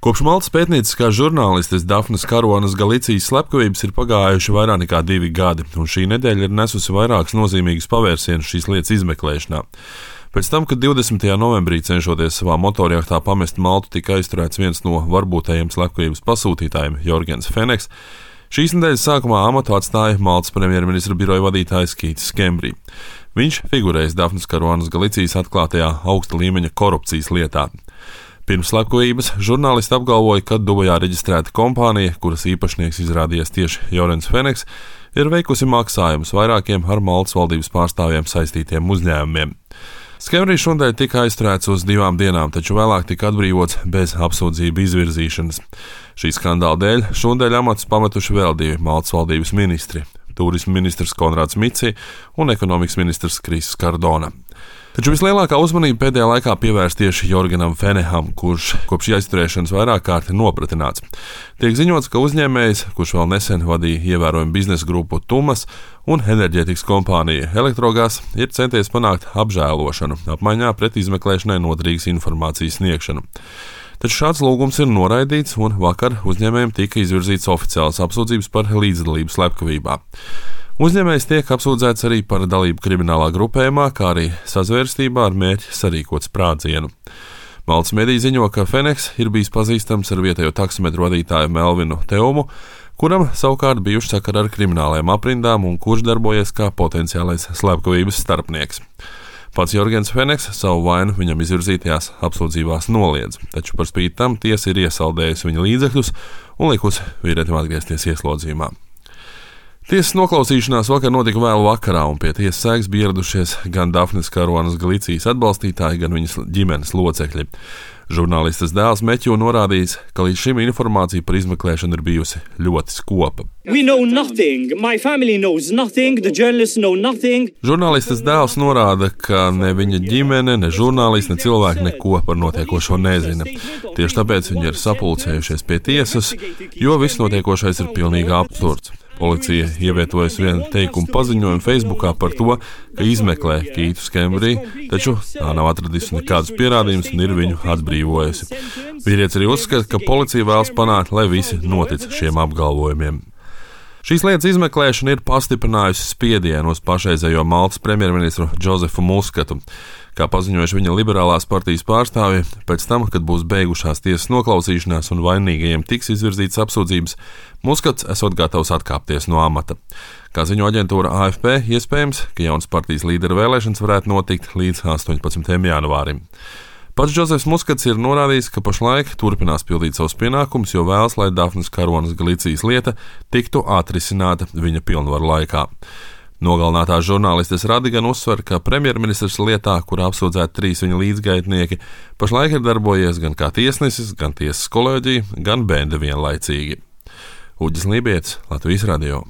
Kopš Maltas pētnieciskās žurnālistes Dafnes Karuanas Galicijas slepkavības ir pagājuši vairāk nekā 2 gadi, un šī nedēļa ir nesusi vairākus nozīmīgus pavērsienus šīs lietas izmeklēšanā. Pēc tam, kad 20. novembrī cenšoties savā motorjahtā pamest Maltu, tika aizturēts viens no varbūtējiem slepkavības pasūtītājiem, Jorgens Feneks. Šīs nedēļas sākumā amatu atstāja Maltas premjerministra biroja vadītājs Keits Schembri. Viņš figurējas Dafnes Karuanas Galicijas atklātajā augsta līmeņa korupcijas lietā. Pirms slepkavības žurnālisti apgalvoja, ka Dubajā reģistrēta kompānija, kuras īpašnieks izrādījies tieši Jorgens Feneks, ir veikusi maksājumus vairākiem ar Maltas valdības pārstāvjiem saistītiem uzņēmumiem. Schembris šodien tika aizturēts uz 2 dienām, taču vēlāk tika atbrīvots bez apsūdzību izvirzīšanas. Šī skandāla dēļ šodien amatus pametuši vēl 2 Maltas valdības ministri - turisma ministrs Konrads Mici un ekonomikas ministrs Kriss Kardona. Taču vislielākā uzmanība pēdējā laikā pievērsta tieši Jorgenam Fenekam, kurš kopš aizturēšanas vairāk kārt ir nopratināts. Tiek ziņots, ka uzņēmējs, kurš vēl nesen vadīja ievērojumu biznesa grupu Tumas un enerģētikas kompāniju Elektrogās, ir centies panākt apžēlošanu apmaiņā pret izmeklēšanai noderīgas informācijas sniegšanu. Taču šāds lūgums ir noraidīts, un vakar uzņēmējiem tika izvirzīts oficiāls apsūdzības par līdzdalību slepkavībā. Uzņēmējs tiek apsūdzēts arī par dalību kriminālā grupējumā, kā arī sazvērstībā ar mērķi sarīkot sprādzienu. Maltas mediji ziņo, ka Feneks ir bijis pazīstams ar vietējo taksometru vadītāju Melvinu Teumu, kuram savukārt bijuši sakari ar kriminālajām aprindām un kurš darbojies kā potenciālais slepkavības starpnieks. Pats Jorgens Feneks savu vainu viņam izvirzītajās apsūdzībās noliedz, taču par spīti tam tiesa ir iesaldējusi viņa līdzekļus un likusi vīrietim atgriezties ieslodzījumā. Tiesas noklausīšanās vakar notika vēlu vakarā, un pie tiesas sēgas bija ieradušies gan Dafnes Karuanas Galicijas atbalstītāji, gan viņas ģimenes locekļi. Žurnālistes dēls Meķu norādījis, ka līdz šim informācija par izmeklēšanu ir bijusi ļoti skopa. Žurnālistes dēls norāda, ka ne viņa ģimene, ne žurnālisti, ne cilvēki neko par notiekošo nezina. Tieši tāpēc viņi ir sapulcējušies pie tiesas, jo viss notiekošais ir pilnīgi absurds. Policija ievietojusi vienu teikumu paziņojumu Facebookā par to, ka izmeklē Keitu Schembri, taču tā nav atradusi nekādus pierādījumus un ir viņu atbrīvojusi. Vīrietis arī uzskata, ka policija vēlas panākt, lai visi notic šiem apgalvojumiem. Šīs lietas izmeklēšana ir pastiprinājusi spiedienu uz pašreizējo Maltas premjerministru Džozefu Muskatu. Kā paziņojuši viņa liberālās partijas pārstāvji, pēc tam, kad būs beigušās tiesas noklausīšanās un vainīgajiem tiks izvirzītas apsūdzības, Muskats esot gatavs atkāpties no amata. Kā ziņo aģentūra AFP, iespējams, ka jaunas partijas līdera vēlēšanas varētu notikt līdz 18. janvārim. Pats Džozefs Muskats ir norādījis, ka pašlaik turpinās pildīt savus pienākumus, jo vēlas, lai Dafnes Karuanas Galicijas lieta tiktu atrisināta viņa pilnvaru laikā. Nogalinātās žurnālistes Radi gan uzsver, ka premjerministrs lietā, kurā apsūdzēti 3 viņa līdzgaitnieki, pašlaik ir darbojies gan kā tiesnesis, gan tiesas kolēģija, gan bende vienlaicīgi. Uģis Lībietis, Latvijas radio.